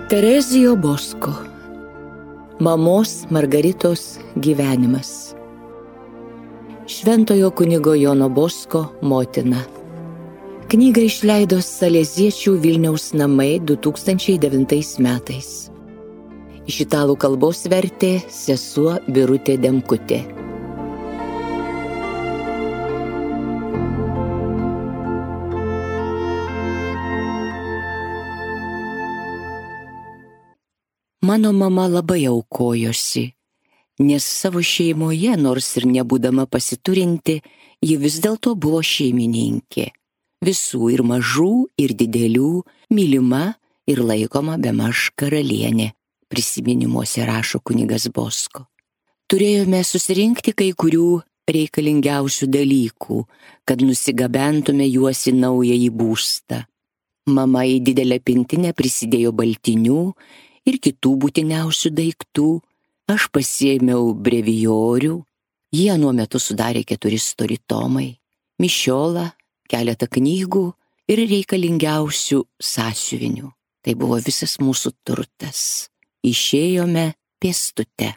Terezijo Bosko. Mamos Margaritos gyvenimas. Šventojo kunigo Jono Bosko motina. Knygą išleido Saleziečių Vilniaus namai 2009 metais. Iš italų kalbos vertė sesuo Birutė Demkutė. Mano mama labai aukojosi, nes savo šeimoje, nors ir nebūdama pasiturinti, ji vis dėlto buvo šeimininkė. Visų ir mažų, ir didelių, mylima ir laikoma bemaž karalienė, prisiminimuose rašo kunigas Bosko. Turėjome susirinkti kai kurių reikalingiausių dalykų, kad nusigabentume juos į naująjį būstą. Mama į didelę pintinę prisidėjo baltinių ir kitų būtiniausių daiktų. Aš pasiėmiau brevijorių, jie nuo metu sudarė 4 stori tomai, mišiolą, keletą knygų ir reikalingiausių sąsiuvinių. Tai buvo visas mūsų turtas. Išėjome pėstute.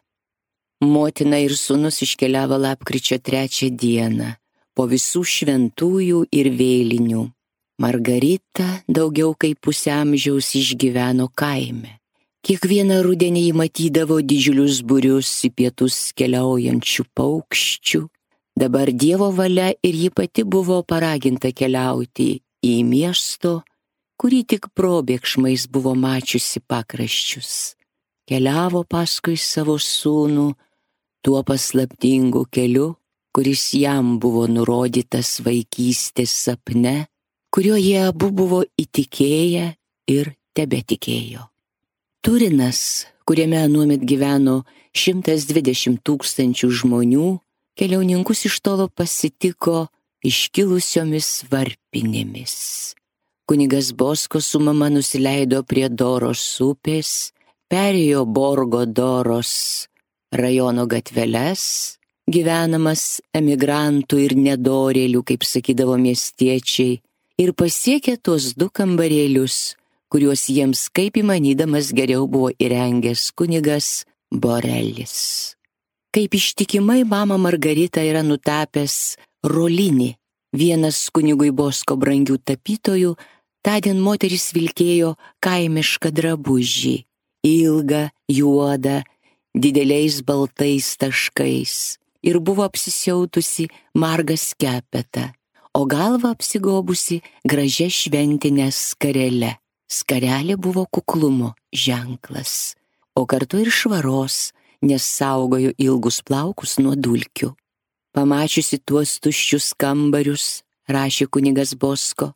Motina ir sūnus iškeliavo lapkričio 3 dieną, po visų šventųjų ir vėlinių. Margarita daugiau kaip pusę amžiaus išgyveno kaime. Kiekvieną rudenį jį matydavo didžiulius būrius į pietus keliaujančių paukščių. Dabar Dievo valia ir ji pati buvo paraginta keliauti į miesto, kurį tik probėgšmais buvo mačiusi pakraščius. Keliavo paskui savo sūnų tuo paslaptingu keliu, kuris jam buvo nurodytas vaikystės sapne, kuriuo jie abu buvo įtikėję ir tebetikėjo. Turinas, kuriame anuomet gyveno 120 000 žmonių, keliauninkus iš tolo pasitiko iškilusiomis varpinėmis. Kunigas Bosko su mama nusileido prie Doros upės, perėjo Borgo Doros rajono gatveles, gyvenamas emigrantų ir nedorėlių, kaip sakydavo miestiečiai, ir pasiekė tuos 2 kambarėlius, kuriuos jiems kaip įmanydamas geriau buvo įrengęs kunigas Borelis. Kaip ištikimai mama Margarita yra nutapęs Rolinį, vienas kunigui Bosko brangių tapytojų, tądien moteris vilkėjo kaimišką drabužį, ilgą, juodą, dideliais baltais taškais ir buvo apsisiautusi margą skepetą, o galvą apsigobusi gražia šventinė skarele. Skarelė buvo kuklumo ženklas, o kartu ir švaros, nes saugojo ilgus plaukus nuo dulkių. Pamačiusi tuos tuščius kambarius, rašė kunigas Bosko,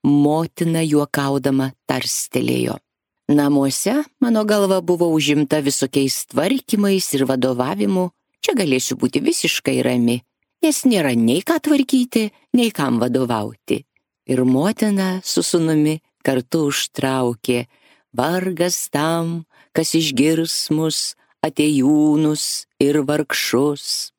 motina juokaudama tarstelėjo. Namuose mano galva buvo užimta visokiais tvarkymais ir vadovavimu, čia galėsiu būti visiškai rami, nes nėra nei ką tvarkyti, nei kam vadovauti. Ir motina su sūnumi kartu užtraukė, vargas tam, kas išgirs mus, atėjūnus ir vargšus.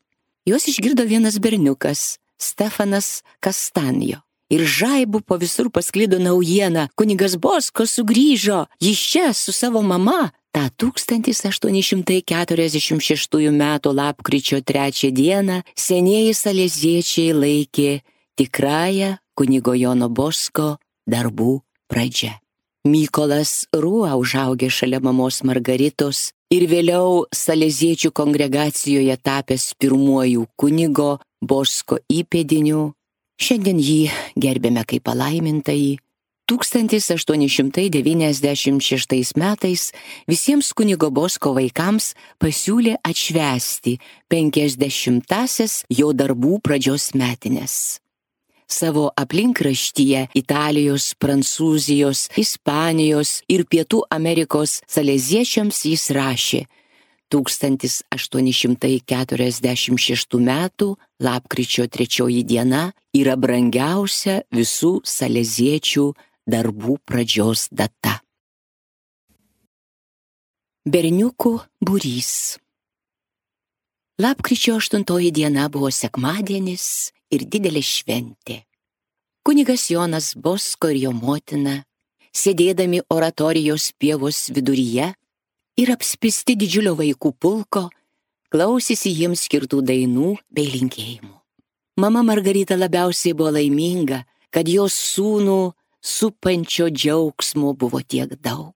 Juos išgirdo vienas berniukas, Stefanas Kastanjo. Ir žaibu po visur pasklido naujiena, kunigas Bosko sugrįžo, jis čia su savo mama. Ta 1846 metų lapkričio 3 dieną senieji saleziečiai laikė tikrąją kunigo Jono Bosko darbų pradžia. Mykolas Rūa užaugė šalia mamos Margaritos ir vėliau saleziečių kongregacijoje tapęs pirmuoju kunigo Bosko įpėdiniu. Šiandien jį gerbėme kaip palaimintąjį. 1896 metais visiems kunigo Bosko vaikams pasiūlė atšvęsti 50-asias jo darbų pradžios metines. Savo aplinkraštyje Italijos, Prancūzijos, Ispanijos ir Pietų Amerikos saleziečiams jis rašė: 1846 metų lapkričio 3 diena yra brangiausia visų saleziečių darbų pradžios data. Berniukų būrys. Lapkričio 8 diena buvo sekmadienis ir didelė šventė. Kunigas Jonas Bosko ir jo motina sėdėdami oratorijos pievos viduryje ir apspisti didžiulio vaikų pulko, klausėsi jiems skirtų dainų bei linkėjimų. Mama Margarita labiausiai buvo laiminga, kad jos sūnų supančio džiaugsmo buvo tiek daug.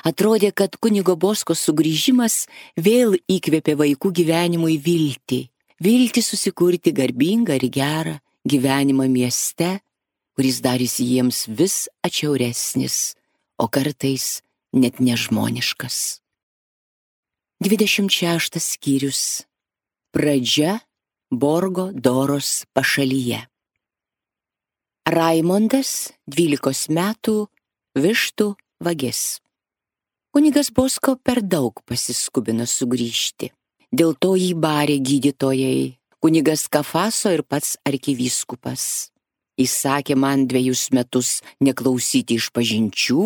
Atrodė, kad kunigo Bosko sugrįžimas vėl įkvėpė vaikų gyvenimui viltį. Viltį susikurti garbingą ir gerą gyvenimą mieste, kuris darėsi jiems vis atšiauresnis, o kartais net nežmoniškas. 26 skyrius. Pradžia Borgo Doros pašalyje. Raimondas, 12 metų, vištų vagis. Kunigas Bosko per daug pasiskubino sugrįžti. Dėl to jį barė gydytojai, kunigas Kafaso ir pats arkivyskupas. Jis sakė man 2 metus neklausyti išpažinčių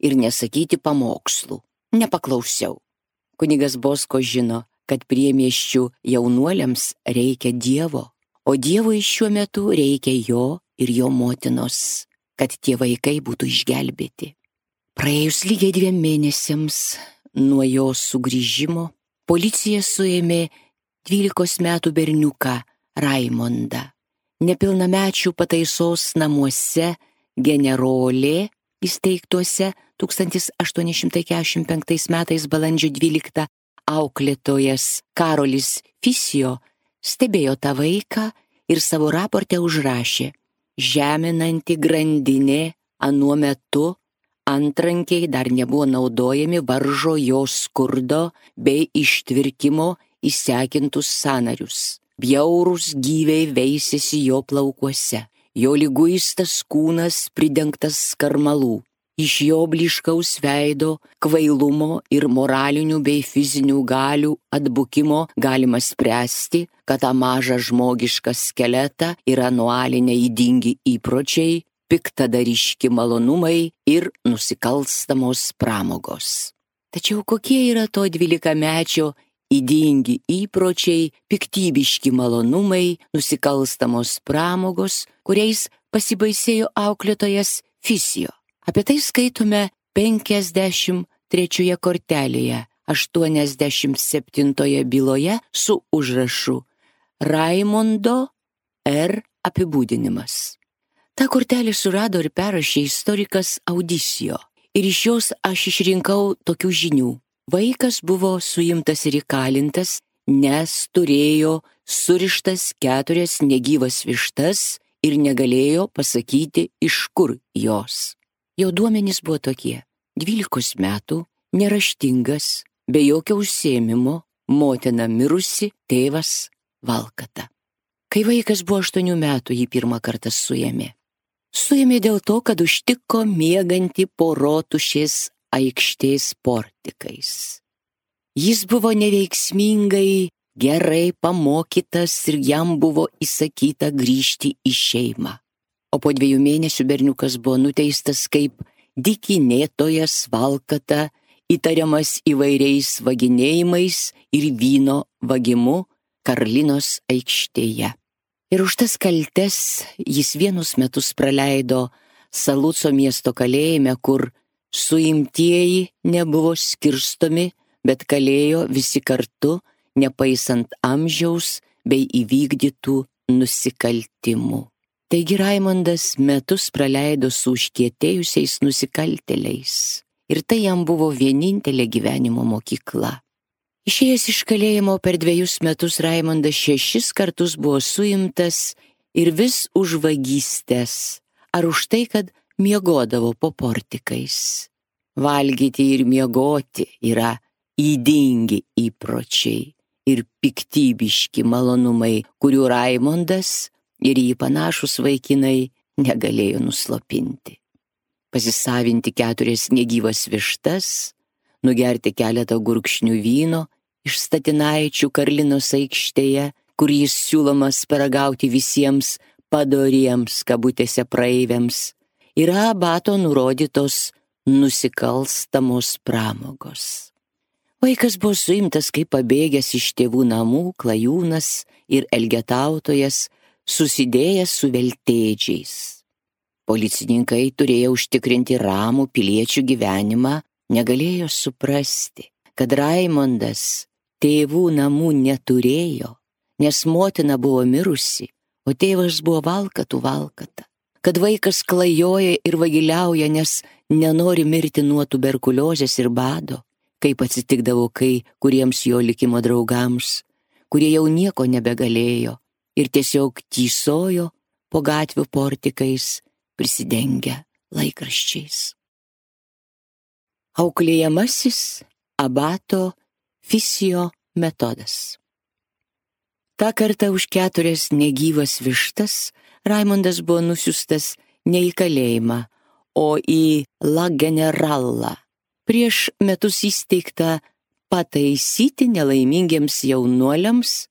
ir nesakyti pamokslų. Nepaklausiau. Kunigas Bosko žino, kad priemiesčių jaunuoliams reikia Dievo, o Dievui šiuo metu reikia jo ir jo motinos, kad tie vaikai būtų išgelbėti. Praėjus lygiai 2 mėnesiams nuo jo sugrįžimo, policija suėmė 12 metų berniuką Raimondą. Nepilnamečių pataisos namuose generolė įsteigtuose 1845 metais balandžio 12 auklėtojas Karolis Fisijo stebėjo tą vaiką ir savo raporte užrašė: žeminanti grandinė anuo metu antrankiai dar nebuvo naudojami, varžo jo skurdo bei ištvirkimo įsekintus sąnarius. Bjaurūs gyviai veisėsi jo plaukuose, jo liguistas kūnas pridengtas skarmalų. Iš jo blyškaus veido, kvailumo ir moralinių bei fizinių galių atbukimo galima spręsti, kad tą mažą žmogišką skeletą yra nualiniai ydingi įpročiai, piktadariški malonumai ir nusikalstamos pramogos. Tačiau kokie yra to 12-mečio ydingi įpročiai, piktybiški malonumai, nusikalstamos pramogos, kuriais pasibaisėjo auklėtojas Fisijo? Apie tai skaitome 53 kortelėje, 87 byloje su užrašu Raimondo R. apibūdinimas. Ta kortelė surado ir perrašė istorikas Audisijo. Ir iš jos aš išrinkau tokių žinių. Vaikas buvo suimtas ir įkalintas, nes turėjo surištas 4 negyvas vištas ir negalėjo pasakyti, iš kur jos. Jo duomenys buvo tokie: 12 metų, neraštingas, be jokio užsiėmimo, motina mirusi, tėvas valkata. Kai vaikas buvo 8 metų, jį pirmą kartą suėmė. Suėmė dėl to, kad užtiko miegantį po Rotušės aikštės portikais. Jis buvo neveiksmingai, gerai pamokytas ir jam buvo įsakyta grįžti į šeimą. O po 2 mėnesių berniukas buvo nuteistas kaip dykinėtojas valkata, įtariamas įvairiais vaginėjimais ir vyno vagimu Karlinos aikštėje. Ir už tas kaltes jis 1 metus praleido Saluco miesto kalėjime, kur suimtieji nebuvo skirstomi, bet kalėjo visi kartu, nepaisant amžiaus bei įvykdytų nusikaltimų. Taigi Raimondas metus praleido su užkietėjusiais nusikaltėliais. Ir tai jam buvo vienintelė gyvenimo mokykla. Išėjęs iš kalėjimo per 2 metus Raimondas 6 kartus buvo suimtas ir vis už vagystes, ar už tai, kad miegodavo po portikais. Valgyti ir miegoti yra ydingi įpročiai ir piktybiški malonumai, kurių Raimondas ir jį panašus vaikinai negalėjo nuslopinti. Pasisavinti 4 negyvas vištas, nugerti keletą gurkšnių vyno iš statinaičių Karlinos aikštėje, kur jis siūlomas paragauti visiems padoriems kabutėse praeiviams, yra abato nurodytos nusikalstamos pramogos. Vaikas buvo suimtas kaip pabėgęs iš tėvų namų klajūnas ir elgetautojas, susidėjęs su veltėdžiais. Policininkai turėjo užtikrinti ramų piliečių gyvenimą, negalėjo suprasti, kad Raimondas tėvų namų neturėjo, nes motina buvo mirusi, o tėvas buvo valkata. Kad vaikas klajoja ir vagiliauja, nes nenori mirti nuo tuberkuliozės ir bado, kaip atsitikdavo kuriems jo likimo draugams, kurie jau nieko nebegalėjo ir tiesiog tysojo po gatvių portikais, prisidengę laikraščiais. Auklėjamasis abato Fisijo metodas. Ta kartą už 4 negyvas vištas Raimondas buvo nusiųstas ne į kalėjimą, o į La Generalą, prieš metus įsteigtą pataisyti nelaimingiems jaunuoliams,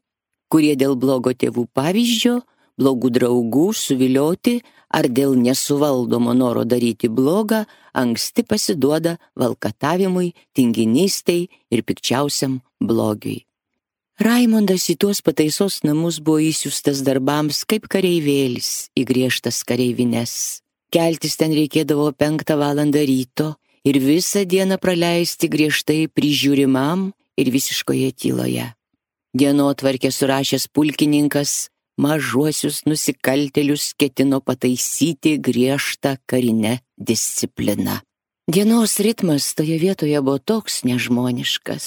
kurie dėl blogo tėvų pavyzdžio, blogų draugų suvilioti ar dėl nesuvaldomo noro daryti blogą, anksti pasiduoda valkatavimui, tinginystei ir pikčiausiam blogiui. Raimondas į tuos pataisos namus buvo įsiųstas darbams kaip kareivėlis į griežtas kareivines. Keltis ten reikėdavo 5 valandą ryto ir visą dieną praleisti griežtai prižiūrimam ir visiškoje tyloje. Dienotvarkę surašęs pulkininkas mažuosius nusikaltėlius ketino pataisyti griežtą karinę discipliną. Dienos ritmas toje vietoje buvo toks nežmoniškas,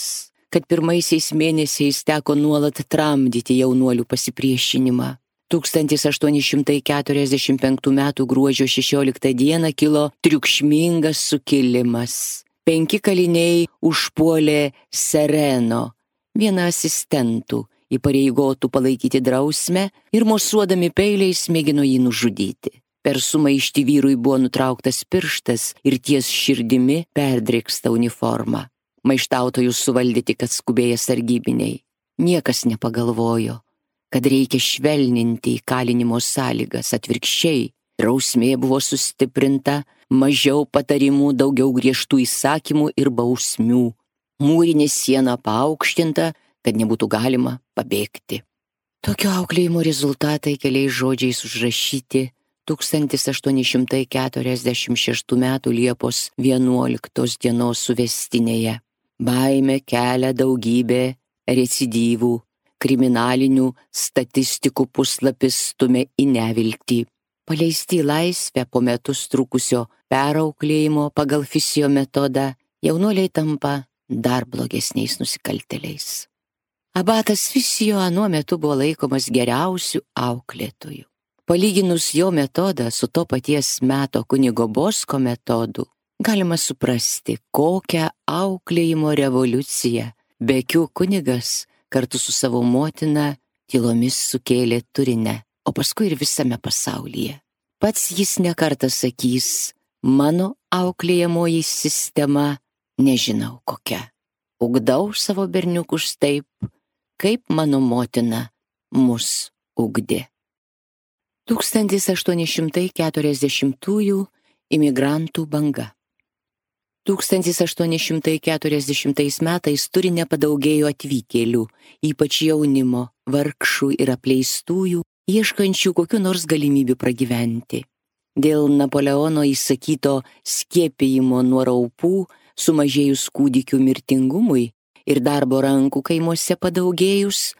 kad pirmaisiais mėnesiais teko nuolat tramdyti jaunuolių pasipriešinimą. 1845 m. gruodžio 16 d. kilo triukšmingas sukilimas. 5 kaliniai užpuolė Sereno, vieną asistentų, įpareigotų palaikyti drausmę ir mosuodami peiliais mėgino jį nužudyti. Per sumaištį vyrui buvo nutrauktas pirštas ir ties širdimi perdrėksta uniforma. Maištautojus suvaldė tik atskubėję sargybiniai. Niekas nepagalvojo, kad reikia švelninti įkalinimo sąlygas, atvirkščiai. Drausmė buvo sustiprinta, mažiau patarimų, daugiau griežtų įsakymų ir bausmių. Mūrinė siena paaukštinta, kad nebūtų galima pabėgti. Tokio auklėjimo rezultatai keliais žodžiais užrašyti 1846 m. Liepos 11 dienos suvestinėje. Baimė kelia daugybė recidyvų, kriminalinių statistikų puslapis stumia į neviltį. Paleisti į laisvę po metus trukusio perauklėjimo pagal Fisijo metodą, jaunuoliai tampa dar blogesniais nusikaltėliais. Abatas Fisijo anuo metu buvo laikomas geriausiu auklėtoju. Palyginus jo metodą su to paties meto kunigo Bosko metodu, galima suprasti, kokią auklėjimo revoliuciją Bekių kunigas kartu su savo motina tylomis sukėlė Turine, o paskui ir visame pasaulyje. Pats jis nekartą sakys, mano auklėjamoji sistema nežinau kokia. Ugdau savo berniukus taip, kaip mano motina mus ugdė. 1840 imigrantų banga. 1840 metais Turine padaugėjo atvykėlių, ypač jaunimo, vargšų ir apleistųjų, ieškančių kokių nors galimybių pragyventi. Dėl Napoleono įsakyto skiepijimo nuo raupų, sumažėjus kūdikių mirtingumui ir darbo rankų kaimuose padaugėjus,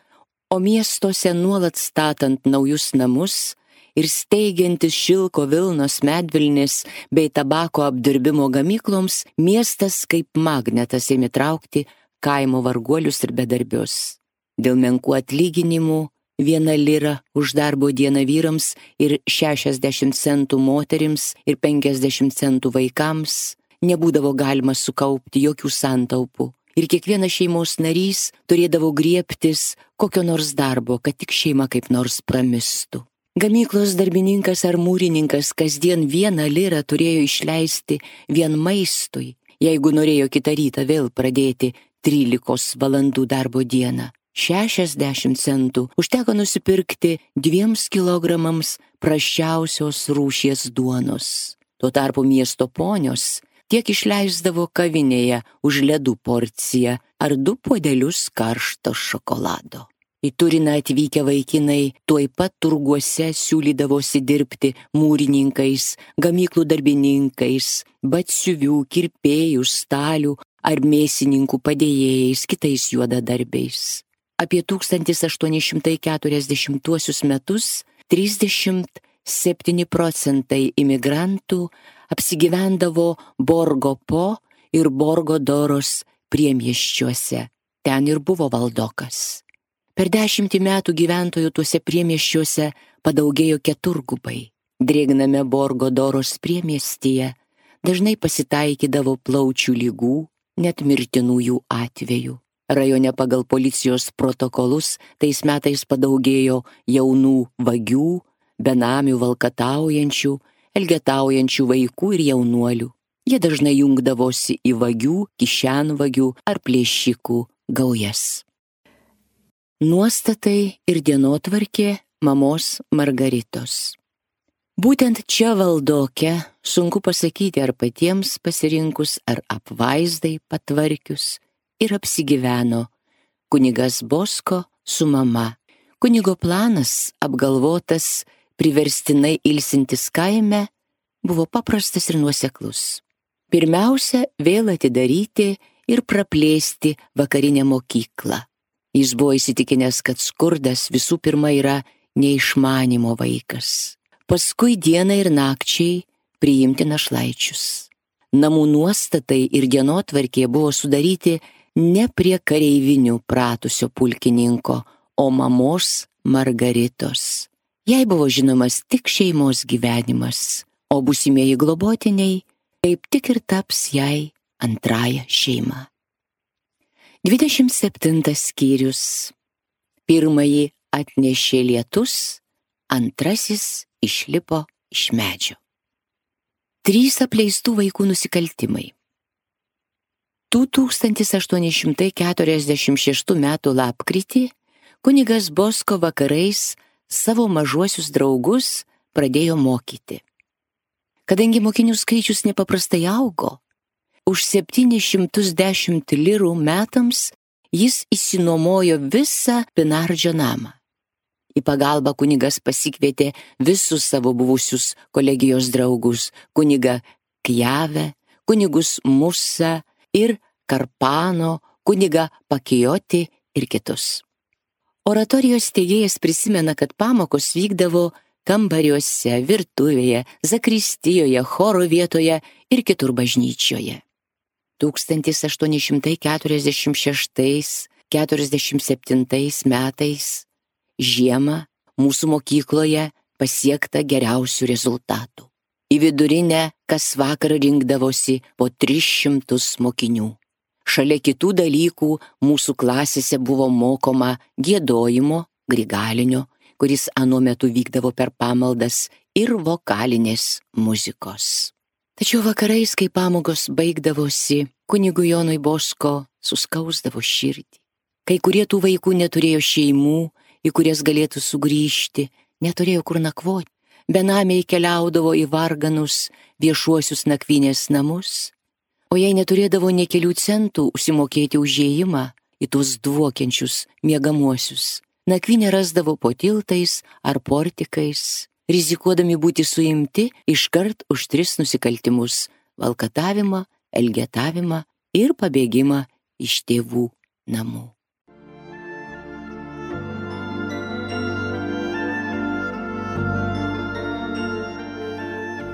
o miestuose nuolat statant naujus namus ir steigiantis šilko vilnos medvilnės bei tabako apdirbimo gamykloms, miestas kaip magnetas ėmė traukti kaimo varguolius ir bedarbius. Dėl menkų atlyginimų 1 lira už darbo dieną vyrams ir 60 centų moterims ir 50 centų vaikams nebūdavo galima sukaupti jokių santaupų. Ir kiekvienas šeimos narys turėdavo griebtis kokio nors darbo, kad tik šeima kaip nors pramistų. Gamyklos darbininkas ar mūrininkas kasdien 1 lirą turėjo išleisti vien maistui, jeigu norėjo kitą rytą vėl pradėti 13 valandų darbo dieną. 60 centų užteko nusipirkti 2 kilogramams prasčiausios rūšies duonos. Tuo tarpu miesto ponios tiek išleisdavo kavinėje už ledų porciją ar 2 puodelius karšto šokolado. Į Turiną atvykę vaikinai tuoj pat turguose siūlydavosi dirbti mūrininkais, gamyklų darbininkais, batsiuvių, kirpėjų, stalių ar mėsininkų padėjėjais, kitais juodadarbiais. Apie 1840 metus 37% imigrantų apsigyvendavo Borgo Po ir Borgo Doros priemiesčiuose. Ten ir buvo valdokas. Per 10 metų gyventojų tuose priemiesčiuose padaugėjo 4-gubai. Drėgname Borgo Doros priemiestyje dažnai pasitaikydavo plaučių lygų, net mirtinųjų atvejų. Rajone pagal policijos protokolus tais metais padaugėjo jaunų vagių, benamių valkataujančių, elgetaujančių vaikų ir jaunuolių. Jie dažnai jungdavosi į vagių, kišenvagių ar plėšikų gaujas. Nuostatai ir dienotvarkė mamos Margaritos. Būtent čia valdoke, sunku pasakyti ar patiems pasirinkus, ar apvaizdai patvarkius, ir apsigyveno kunigas Bosko su mama. Kunigo planas, apgalvotas, priverstinai ilsintis kaime, buvo paprastas ir nuoseklus. Pirmiausia, vėl atidaryti ir praplėsti vakarinę mokyklą. Jis buvo įsitikinęs, kad skurdas visų pirma yra neišmanimo vaikas. Paskui dieną ir nakčiai priimti našlaičius. Namų nuostatai ir dienotvarkė buvo sudaryti ne prie kareivinių pratusio pulkininko, o mamos Margaritos. Jai buvo žinomas tik šeimos gyvenimas, o būsimieji globotiniai kaip tik ir taps jai antrąją šeimą. 27 skyrius. Pirmąjį atnešė lietus, antrasis išlipo iš medžio. 3 apleistų vaikų nusikaltimai. 1846 metų lapkritį kunigas Bosko vakarais savo mažuosius draugus pradėjo mokyti. Kadangi mokinių skaičius nepaprastai augo, už 710 lirų metams jis išsinuomojo visą Pinardžio namą. Į pagalbą kunigas pasikvietė visus savo buvusius kolegijos draugus, kunigą Kjavę, kunigus Musą ir Karpano, kunigą Pakijoti ir kitus. Oratorijos steigėjas prisimena, kad pamokos vykdavo kambariuose, virtuvėje, zakristijoje, choro vietoje ir kitur bažnyčioje. 1846-47 metais žiemą mūsų mokykloje pasiekta geriausių rezultatų. Į vidurinę kas vakarą rinkdavosi po 300 mokinių. Šalia kitų dalykų mūsų klasėse buvo mokoma giedojimo, grigalinio, kuris anuo metu vykdavo per pamaldas, ir vokalinės muzikos. Tačiau vakarais, kai pamokos baigdavosi, kunigui Jonui Bosko suskausdavo širdį. Kai kurie tų vaikų neturėjo šeimų, į kurias galėtų sugrįžti, neturėjo kur nakvoti. Benamiai keliaudavo į varganus viešuosius nakvynės namus, o jei neturėdavo nė kelių centų užsimokėti už įėjimą į tuos dvokiančius miegamuosius, nakvynę rasdavo po tiltais ar portikais, rizikuodami būti suimti iškart už 3 nusikaltimus – valkatavimą, elgetavimą ir pabėgimą iš tėvų namų.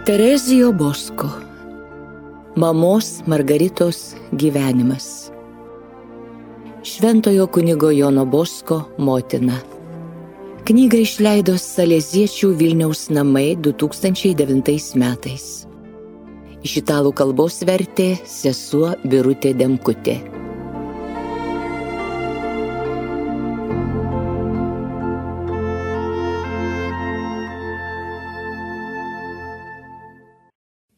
Terezijo Bosko. Mamos Margaritos gyvenimas. Šventojo kunigo Jono Bosko motina. Knygą išleido Saleziečių Vilniaus namai 2009 metais. Iš italų kalbos vertė sesuo Birutė Demkutė.